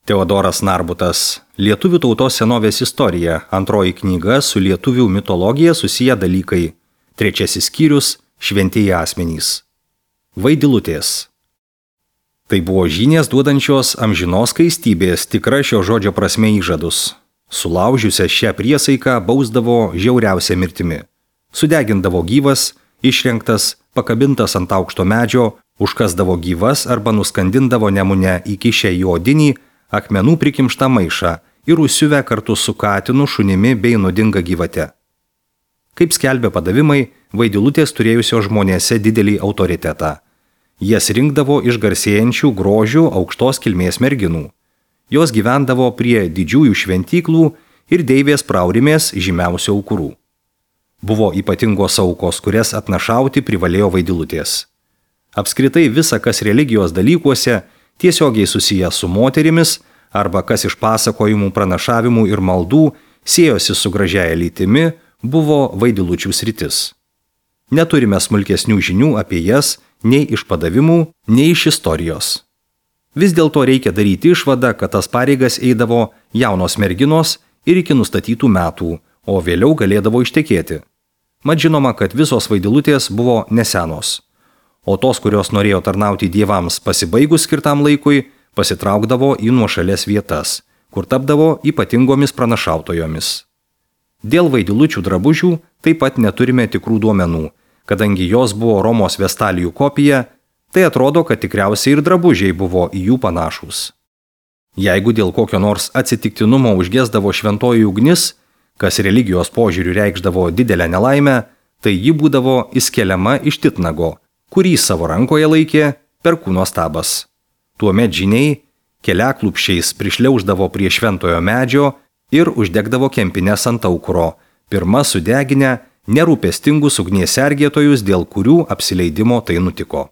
Teodoras Narbutas. Lietuvių tautos senovės istorija. Antroji knyga su lietuvių mitologija susiję dalykai. Trečiasis skyrius – šventieji asmenys. Vaidilutės. Tai buvo žynės duodančios amžinos skaistybės tikra šio žodžio prasme įžadus. Sulaužiusią šią priesaiką bausdavo žiauriausia mirtimi. Sudegindavo gyvas, išrengtas, pakabintas ant aukšto medžio, užkasdavo gyvas arba nuskandindavo Nemune įkišę į odinį akmenų prikimštą maišą ir užsiuvę kartu su katinu, šunimi bei nuodinga gyvate. Kaip skelbė padavimai, vaidilutės turėjusios žmonėse didelį autoritetą. Jas rinkdavo iš garsėjančių grožių aukštos kilmės merginų. Jos gyvendavo prie didžiųjų šventyklų ir deivės Praurimės žymiausių aukurų. Buvo ypatingos aukos, kurias atnašauti privalėjo vaidilutės. Apskritai visa, kas religijos dalykuose, tiesiogiai susijęs su moterimis arba kas iš pasakojimų, pranašavimų ir maldų siejosi su gražiaja lytimi, buvo vaidilučių sritis. Neturime smulkesnių žinių apie jas nei iš padavimų, nei iš istorijos. Vis dėlto reikia daryti išvadą, kad tas pareigas eidavo jaunos merginos ir iki nustatytų metų, o vėliau galėdavo ištekėti. Mat žinoma, kad visos vaidilutės buvo nesenos. O tos, kurios norėjo tarnauti dievams pasibaigus skirtam laikui, pasitraukdavo į nuošalės vietas, kur tapdavo ypatingomis pranašautojomis. Dėl vaidilučių drabužių taip pat neturime tikrų duomenų, kadangi jos buvo Romos Vestalijų kopija, tai atrodo, kad tikriausiai ir drabužiai buvo į jų panašūs. Jeigu dėl kokio nors atsitiktinumo užgesdavo šventoji ugnis, kas religijos požiūriu reikšdavo didelę nelaimę, tai ji būdavo įskeliama iš titnago, kurį savo rankoje laikė perkūno stabas. Tuomet žyniai keliaklupščiais prišliauždavo prie šventojo medžio ir uždegdavo kempines ant aukuro, pirma sudeginę nerūpestingus ugnies sergėtojus, dėl kurių apsileidimo tai nutiko.